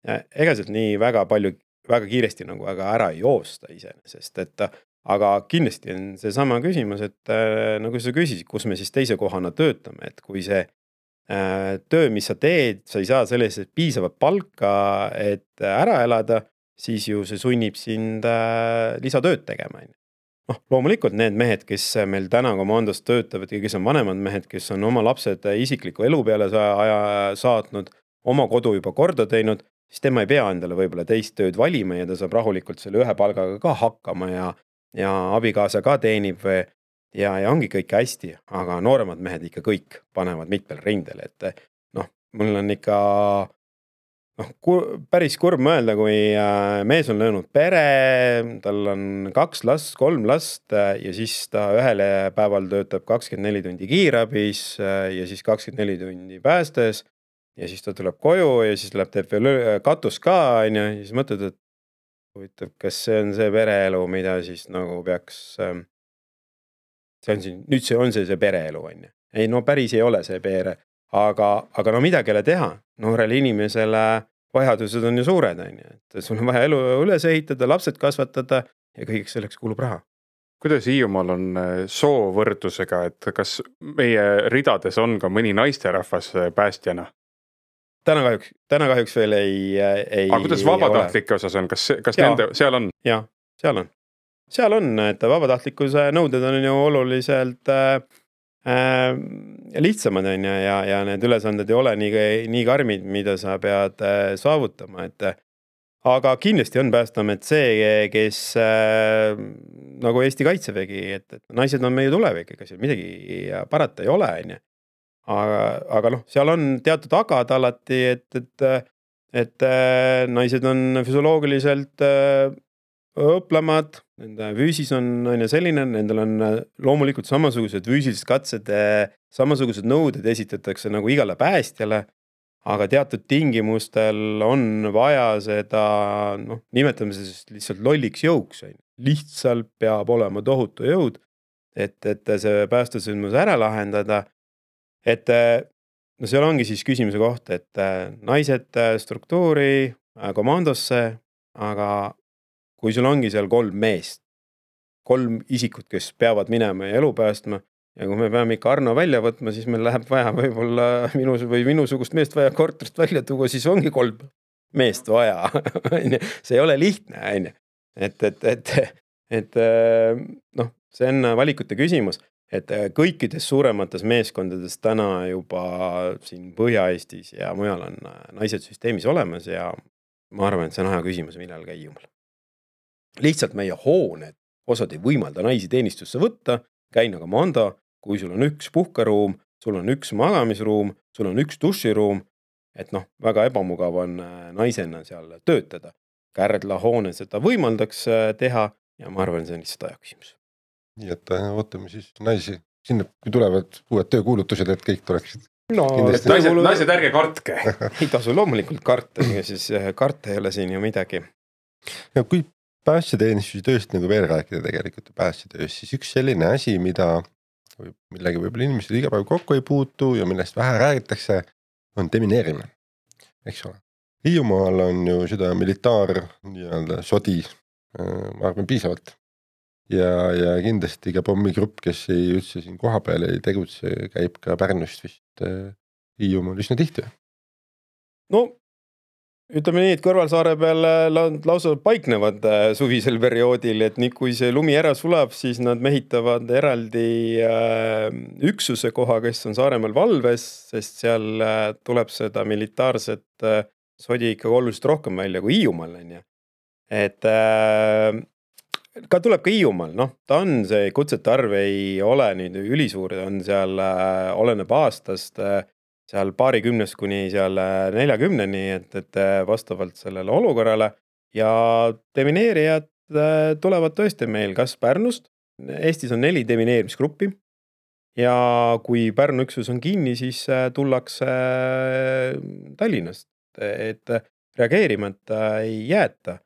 ja ega sealt nii väga palju, väga kiiresti nagu aga ära ei joosta iseenesest, et aga kindlasti on see sama küsimus, et äh, nagu sa küsisid, kus me siis teise kohana töötame, et kui see äh, töö, mis sa teed, sa ei saa sellesse piisavat palka, et ära elada, siis ju see sunnib sind äh, lisatööd tegema. noh, loomulikult need mehed, kes meil täna komandos töötavad ja kes on vanemad mehed, kes on oma lapsed isikliku elu peale aja saatnud, oma kodu juba korda teinud, siis tema ei pea endale võib-olla teist tööd valima ja ta saab rahulikult selle ühe palgaga ka hakkama ja, ja abikaasa ka teenib või, ja, ja ongi kõik hästi, aga nooremad mehed ikka kõik panevad mitmel rindel, et noh, mul on ikka noh, päris kurb mõelda, kui mees on löönud pere, tal on kaks last, kolm last ja siis ta ühele päeval töötab kakskümmend neli tundi kiirabis ja siis kakskümmend neli tundi päästes ja siis ta tuleb koju ja siis läheb teeb veel katus ka on ja siis mõtled, et huvitav, kas see on see pereelu, mida siis nagu peaks see on siin, nüüd see on see see pereelu on ja. Ei, no päris ei ole see pere. Aga, aga no midagi ei ole teha. Noorele inimesele vajadused on ju suured, on ju. Et sul on vaja elu üles ehitada, lapsed kasvatada ja kõigeks selleks kulub raha. Kuidas Hiiumaal on soovõrdusega, et kas meie ridades on ka mõni naisterahvas päästjana? Täna kahjuks, täna kahjuks veel ei, ei aga kuidas vabatahtlike osas on? Kas, kas nende, seal on? Jah, seal on. Seal on, et vabatahtlikkuse nõuded on ju oluliselt äh, Äh, lihtsamad on ja, ja, ja need ülesanded ei ole nii, nii karmid, mida sa pead äh, saavutama, et aga kindlasti on Päästeamet see, kes äh, nagu Eesti Kaitsevägi, et, et naised on meie tulevik, ega seal midagi parata ei ole, on ju. Aga, aga noh, seal on teatud agad alati, et, et, et äh, naised on füsioloogiliselt äh, õplamad, nende füüsis on, on selline, nendel on loomulikult samasugused füüsilised katsed, samasugused nõuded esitatakse nagu igale päästjale, aga teatud tingimustel on vaja seda, noh, nimetame seda lihtsalt lolliks jõuks. Lihtsalt peab olema tohutu jõud, et, et see päästesündmus ära lahendada. Et no seal ongi siis küsimuse koht, et naised struktuuri komandosse, aga kui sul ongi seal kolm meest, kolm isikut, kes peavad minema ja elu päästma ja kui me peame ikka Arno välja võtma, siis meil läheb vaja võib-olla minu, või minusugust meest vaja korterist välja tuua, siis ongi kolm meest vaja. See ei ole lihtne. Et, et, et, et noh, see on valikute küsimus, et kõikides suuremates meeskondades täna juba siin Põhja-Eestis ja mujal on naised süsteemis olemas ja ma arvan, et see on aja küsimus, millal käi jumal. Lihtsalt meie hooned, osad ei võimalda naisi teenistusse võtta, käina komando, kui sul on üks puhkaruum, sul on üks magamisruum, sul on üks duširuum, et noh, väga ebamugav on naisena seal töötada. Kärdla hoone seda võimaldaks teha ja ma arvan, see on lihtsalt aja küsimus. Nii et ootame siis naisi, sinna kui tulevad uued töökuulutused, et kõik tuleksid. No, naised, naised ärge kartke. Ei tasu loomulikult karta, siis karta ei ole siin ju midagi. Ja kui päästjateenistuse tööst nagu veel rääkida tegelikult päästjatööst, siis üks selline asi, mida millegi võib-olla inimesed iga päev kokku ei puutu ja millest vähe räägitakse, on demineerimine. Eks ole. Hiiumaal on ju seda militaar nii-öelda sodi, ma arvan, piisavalt. Ja, ja kindlasti ka pommigrupp, kes ei üldse siin koha peal ei tegutse, käib ka Pärnust vist Hiiumaal üsna tihti. No, ütleme nii, et kõrvalsaare peal lausa paiknevad suvisel perioodil, et nii kui see lumi ära sulab, siis nad mehitavad eraldi üksuse koha, kes on Saaremaal valves, sest seal tuleb seda militaarset sodi ikka oluliselt rohkem välja kui Hiiumaal. Et ka tuleb ka Hiiumaal, noh, ta on see kutsete arv ei ole nüüd ülisuur, on seal oleneb aastast, seal paarikümnest kuni seal neljakümneni, et, et vastavalt sellele olukorrale ja demineerijad tulevad tõesti meil kas Pärnust, Eestis on neli demineerimisgruppi ja kui Pärnu üksus on kinni, siis tullakse Tallinnast, et reageerimata ei jäeta.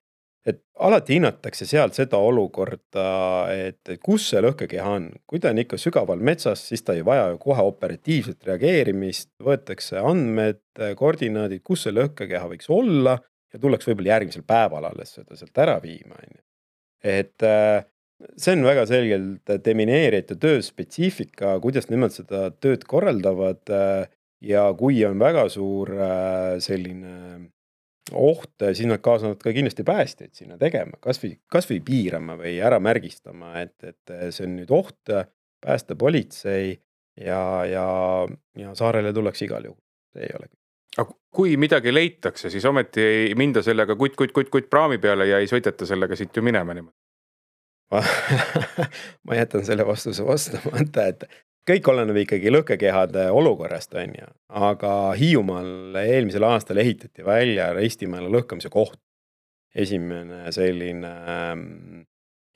Et alati hinnatakse sealt seda olukorda, et kus see lõhkekeha on. Kui ta on ikka sügaval metsas, siis ta ei vaja kohe operatiivset reageerimist, võetakse andmed, koordinaadid, kus see lõhkekeha võiks olla ja tullaks võib-olla järgmisel päeval alles seda sealt ära viima. Et see on väga selgelt demineerijate töö spetsiifika, kuidas nemad seda tööd korraldavad ja kui on väga suur selline oht, siis nad kaasavad ka kindlasti päästjaid sinna tegema, kas või, kas või piirama või ära märgistama, et, et see on nüüd oht, päästepolitsei ja, ja, ja saarele tullakse igal juhul. See ei ole. Aga kui midagi leitakse, siis ometi ei minda sellega kutt, kutt, kutt, kutt praami peale ja ei sõideta sellega siit ju minema niimoodi. Ma jätan selle vastuse vastamata, et kõik oleneb ikkagi lõhkekehade olukorrast, on ju. Aga Hiiumaal eelmisel aastal ehitati välja Ristimäele lõhkamise koht. Esimene selline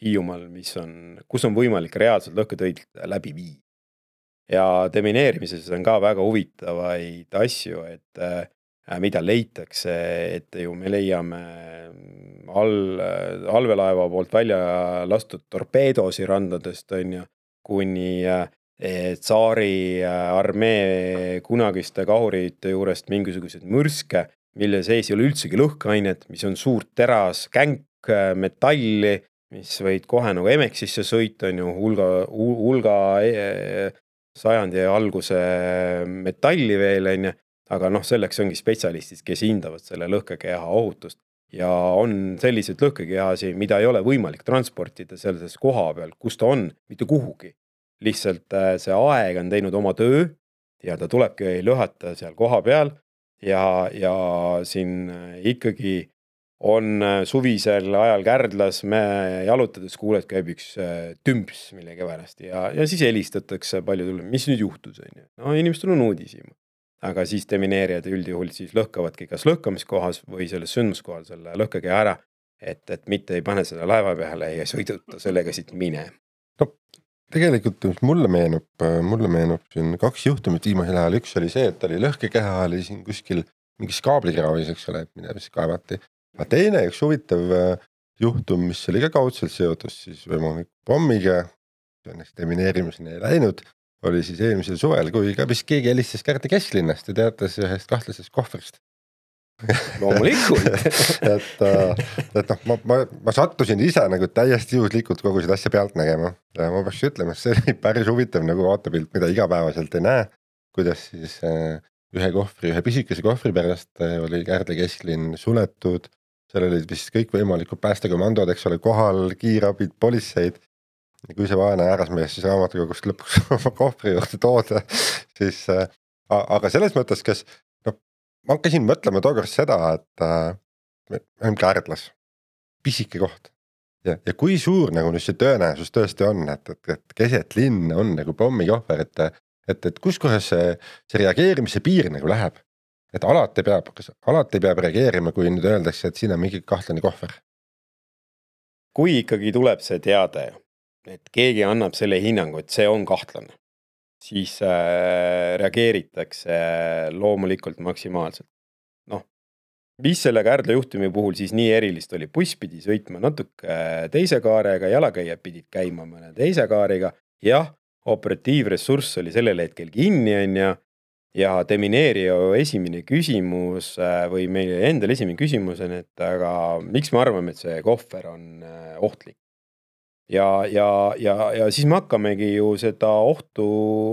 Hiiumaal, mis on, kus on võimalik reaalselt lõhketöid läbi vii. Ja demineerimises on ka väga huvitavaid asju, et äh, mida leitakse, et ju me leiame all, allvelaeva poolt välja lastud torpeedosi randadest, on ju, kuni äh, Tsaari armee kunagiste kahurite juurest mingisugused mürske, mille sees ei ole üldsegi lõhkeainet, mis on suurt teras, känk, metalli, mis võid kohe nagu Emeksisse sõita, on ju hulga, hulga sajandi alguse metalli veel, on ju, aga noh, selleks ongi spetsialistid, kes hindavad selle lõhkekeha ohutust. Ja on sellised lõhkekehasi, mida ei ole võimalik transportida selles koha peal, kus ta on, mitte kuhugi. Lihtsalt see aeg on teinud oma töö ja ta tulebki lõhata seal koha peal ja, ja siin ikkagi on suvisel ajal Kärdlas, me jalutades kuuled käib üks tümps millegi pärast ja, ja siis helistatakse palju tulle, mis nüüd juhtus, on ju. No inimestel on uudisima. Aga siis demineerijad üldjuhul siis lõhkavadki kas lõhkamiskohas või selles sündmuskohal selle lõhkekeha ära, et, et mitte ei pane seda laeva peale ja sõiduta sellega siit mine. No. Tegelikult mulle meenub, mulle meenub siin kaks juhtumit viimasel ajal. Üks oli see, et oli lõhkekeha oli siin kuskil mingis kaablikraavis, eks ole, et mida siis kaevati. Aga teine üks huvitav juhtum, mis oli ka kaudselt seotus siis võimalik pommiga, õnneks demineerimiseni ei läinud, oli siis eelmisel suvel, kui ka vist keegi helistas Kärdi Kesklinnast ja teatas ühest kahtlasest kohvrist. Loomulikult. et, et noh, ma, ma, ma sattusin ise nagu täiesti juhuslikult kogu seda asja pealt nägema. Ja ma peaks ütlema, see oli päris huvitav nagu vaatepilt, mida igapäevaselt ei näe, kuidas siis ühe kohvri, ühe pisikese kohvri pärast oli Kärdi Kesklinn suletud, seal olid vist kõik võimalikud päästekomandod, eks ole, kohal, kiirabid, politseid. Ja kui see vaene äärasmees siis raamatukogust lõpuks oma kohvri juurde tooda, siis aga selles mõttes, kas no, ma käisin mõtlema tookord seda, et me oleme Kärdlas, pisike koht ja, ja kui suur nagu nüüd see tõenäosus tõesti on, et, et, et keset linn on nagu pommikohver, et, et, et kus kohas see, see reageerimise piir nagu läheb, et alati peab, kas alati peab reageerima, kui nüüd öeldakse, et siin on mingi kahtlane kohver. Kui ikkagi tuleb see teade, et keegi annab selle hinnangu, et see on kahtlane, siis äh, reageeritakse loomulikult maksimaalselt. Noh, mis selle Kärdla juhtumi puhul siis nii erilist oli, buss pidi sõitma natuke teise kaarega, jalakäijad pidid käima mõne teise kaariga, jah, operatiivressurss oli sellel hetkel kinni on ja, ja demineerija esimene küsimus või meil endal esimene küsimus on, et aga miks me arvame, et see kohver on ohtlik? Ja, ja, ja, ja siis me hakkamegi ju seda ohtu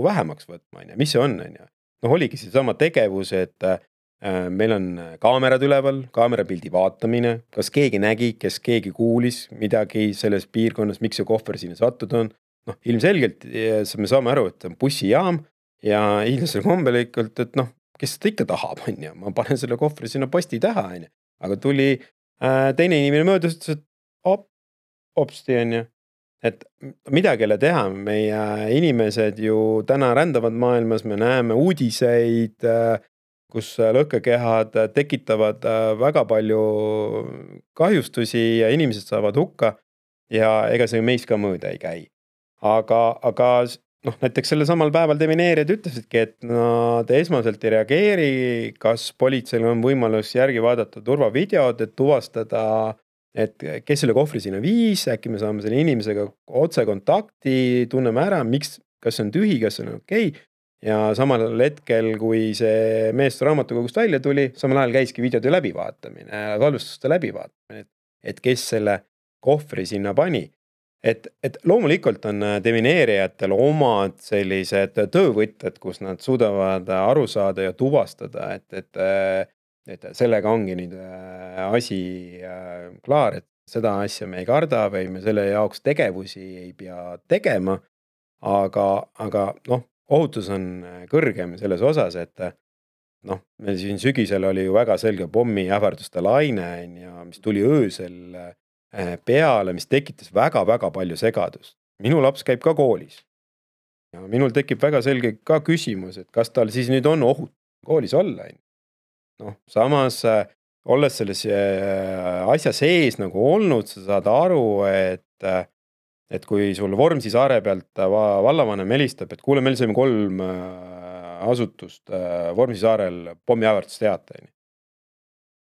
vähemaks võtma, mis see on, on ja? Noh, oligi see sama tegevus, et äh, meil on kaamerad üleval, kaamerapildi vaatamine, kas keegi nägi, kes keegi kuulis midagi selles piirkonnas, miks see kohver sinna sattud on. Noh, ilmselgelt me saame aru, et on bussijaam ja hiidlasel kombelikult, et noh, kes seda ikka tahab, on ja? Ma panen selle kohvri sinna posti taha, on ja? Aga tuli äh, teine inimene möödus, et op, opsti on ja? Et midagi ei ole teha, meie inimesed ju täna rändavad maailmas, me näeme uudiseid, kus lõhkekehad tekitavad väga palju kahjustusi ja inimesed saavad hukka. ja ega see meist ka mõõda ei käi. Aga, aga noh, näiteks selle samal päeval demineerijad ütlesidki, et nad esmaselt ei reageeri, kas politseil on võimalus järgi vaadata turvavideod, et tuvastada, et kes selle kohvri sinna viis, äkki me saame selle inimesega otse kontakti, tunneme ära, miks, kas see on tühi, kas see on okei. Ja samal hetkel, kui see mees raamatukogust välja tuli, samal ajal käiski videode läbivaatamine, salvestuste läbivaatamine, et, et kes selle kohvri sinna pani. Et, et loomulikult on demineerijatel omad sellised töövõtted, kus nad suudavad aru saada ja tuvastada, et, et, et sellega ongi nüüd asi klaar, et seda asja me ei karda või me selle jaoks tegevusi ei pea tegema, aga, aga noh, ohutus on kõrgem selles osas, et noh, meil siin sügisel oli ju väga selge pommi ähvarduste laine, ja mis tuli öösel peale, mis tekitas väga-väga palju segadust. Minu laps käib ka koolis. Ja minul tekib väga selge ka küsimus, et kas tal siis nüüd on ohut koolis olla. Noh, samas olles selles asja sees nagu olnud, sa saad aru, et, et kui sul Vormsi saare pealt vallavanem helistab, et kuule, meil saime kolm asutust Vormsi saarel pommi ähvardust teata.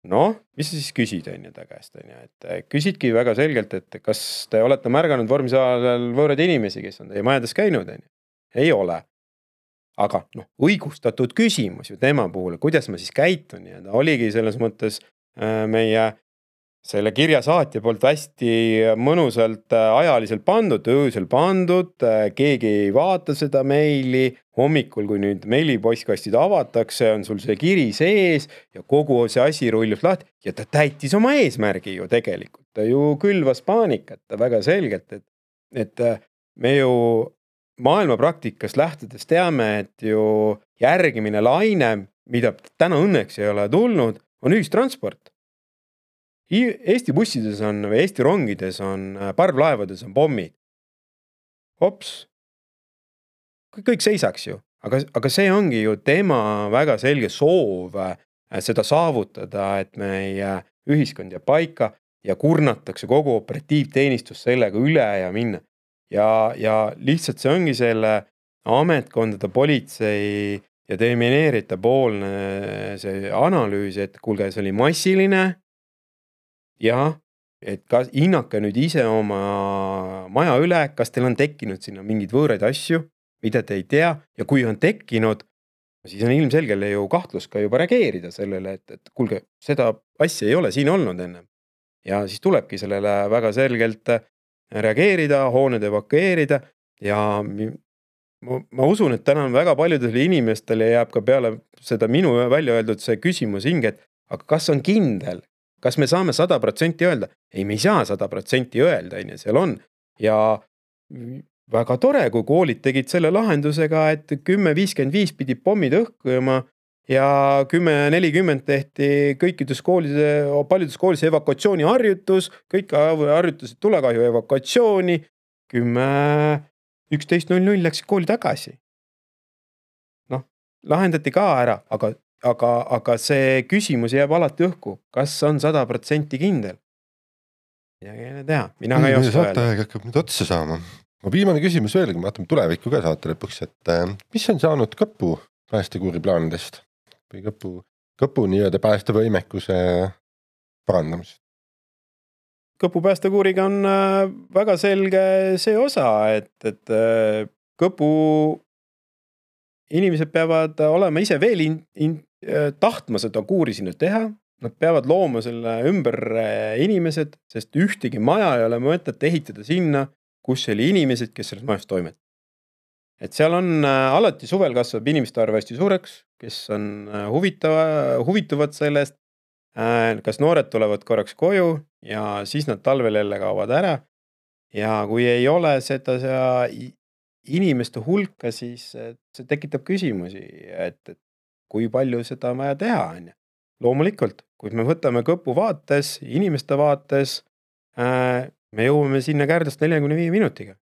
Noh, mis sa siis küsid on ju ta käest, on ju, et küsidki väga selgelt, et kas te olete märganud Vormsi saarel võõraid inimesi, kes on teie majades käinud, on ju? Ei ole. Aga noh, õigustatud küsimus ju tema puhul, kuidas ma siis käitun, ja ta oligi selles mõttes meie selle kirja saatja poolt hästi mõnusalt ajaliselt pandud, öösel pandud, keegi ei vaata seda meili, hommikul, kui nüüd meilipostkastid avatakse, on sul see kiri sees ja kogu see asi rullub lahti ja ta täitis oma eesmärgi ju tegelikult. Ta ju külvas paanikat väga selgelt, et, et me ju maailma praktikast lähtudes teame, et ju järgmine laine, mida täna õnneks ei ole tulnud, on ühistransport. Eesti bussides on, või Eesti rongides on, parvlaevades on pommid. Hops. Kõik seisaks ju. Aga, aga see ongi ju tema väga selge soov seda saavutada, et meie ühiskond ja paika ja kurnatakse kogu operatiivteenistus sellega üle ja minna. Ja, ja lihtsalt see ongi selle ametkondade politsei ja demineerita poolne see analüüs, et kuulge, see oli massiline. Ja, et kas hinnake nüüd ise oma maja üle, kas teil on tekkinud sinna mingid võõraid asju, mida te ei tea, ja kui on tekkinud, siis on ilmselgele ju kahtlus ka juba reageerida sellele, et, et kuulge, seda asja ei ole siin olnud enne. Ja siis tulebki sellele väga selgelt reageerida, hooned evakueerida, ja ma, ma usun, et täna väga paljudele inimestele jääb ka peale seda minu välja öeldud see küsimus hinge, et aga kas on kindel, kas me saame sada protsenti öelda? Ei, me ei saa sada protsenti öelda, ja seal on. Ja väga tore, kui koolid tegid selle lahendusega, et kümme viiskümmend viis pidi pommid õhkujama ja kümme nelikümmend tehti kõikides koolides, paljudes koolides evakuatsiooni harjutus, kõik harjutusid tulekahju evakuatsiooni, kümme üksteist null null läks kooli tagasi. Noh, lahendati ka ära, aga Aga, aga see küsimus jääb alati õhku. Kas on sada protsenti kindel? Ja ei tea, mina ka ei oska öelda. Saate hakkab nüüd otsa saama. Ma viimane küsimus veel, kui me vaatame tulevikku ka saate lõpuks, et mis on saanud Kõpu päästekuuri plaanidest? Või Kõpu, Kõpu nii-öelda päästevõimekuse parandamist? Kõpu päästekuuriga on väga selge see osa, et, et Kõpu inimesed peavad olema ise veel in, in, tahtma seda kuuri sinna teha. Nad peavad looma selle ümber inimesed, sest ühtegi maja ei ole mõtet ehitada sinna, kus oli inimesed, kes selles majas toimet. Et seal on alati suvel kasvab inimeste arv hästi suureks, kes on huvitava, huvituvad sellest, kas noored tulevad korraks koju ja siis nad talvel jälle kaovad ära. Ja kui ei ole seda inimeste hulka, siis see tekitab küsimusi, et, et kui palju seda on vaja teha. On. Loomulikult, kui me võtame Kõpu vaates, inimeste vaates, me jõuame sinna Kärdlast neljakümne viie minutiga.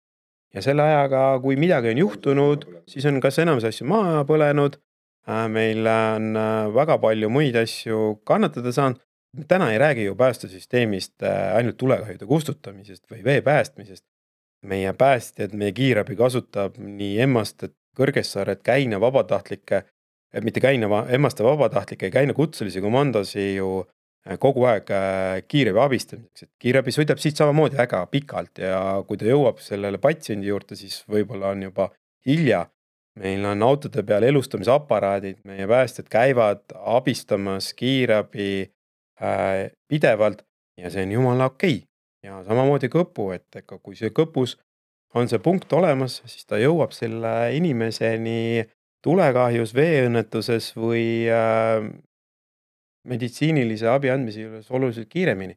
Ja selle ajaga, kui midagi on juhtunud, siis on kas enamus asju maha põlenud, meil on väga palju muid asju kannatada saanud täna ei räägi ju päästesüsteemist ainult tulekahjude kustutamisest või vee päästmisest. Meie päästjad, meie kiirabi kasutab nii Emmast, et Kõrgessaaret, Käina vabatahtlikke, mitte Käina, Emmaste vabatahtlikke ja Käina kutselisi komandosi ju kogu aeg kiirabi abistamiseks. Et kiirabi sõidab siit samamoodi väga pikalt ja kui ta jõuab sellele patsiendi juurde, siis võib-olla on juba hilja. Meil on autode peal elustamisaparaadid, meie päästjad käivad abistamas kiirabi äh, pidevalt ja see on jumala okei. Ja samamoodi kõpu, et eka kui see kõpus on see punkt olemas, siis ta jõuab selle inimeseni tulekahjus, veeõnnetuses või äh, meditsiinilise abi andmise juures oluliselt kiiremini.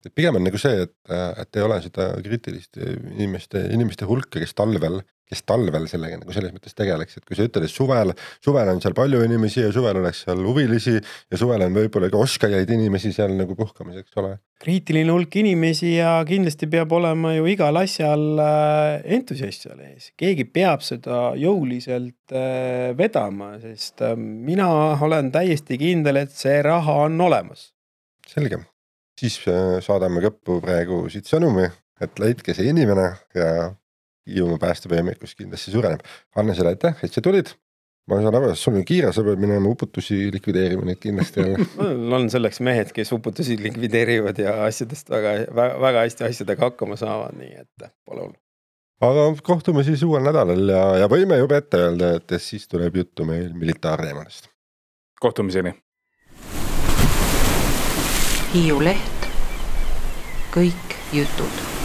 Et pigem on nagu see, et, et ei ole seda kriitilist inimeste, inimeste hulka, kes talvel, kes talvel sellega nagu selles mõttes tegeleks, et kui sa ütled, et suvel, suvel on seal palju inimesi ja suvel oleks seal huvilisi ja suvel on võib-olla ka oskajaid inimesi seal nagu puhkamiseks ole. Kriitiline hulk inimesi ja kindlasti peab olema ju igal asjal entusiast seal ees. Keegi peab seda jõuliselt vedama, sest mina olen täiesti kindel, et see raha on olemas. Selge. Siis saadame kõppu praegu siit sõnumi, et leidke see inimene ja Hiiumaa päästevõimekus kindlasti suureneb. Anne selle aitäh, et sa tulid. Ma saan aru, et sul on kiire, sa pead minema uputusi likvideerima neid kindlasti jälle. on selleks mehed, kes uputusi likvideerivad ja asjadest väga, väga hästi asjadega hakkama saavad, nii et pole hullu. Aga kohtume siis uuel nädalal ja, ja võime juba ette öelda, et siis tuleb juttu meil militaarteemadest. Kohtumiseni. Hiiu Leht. Kõik jutud.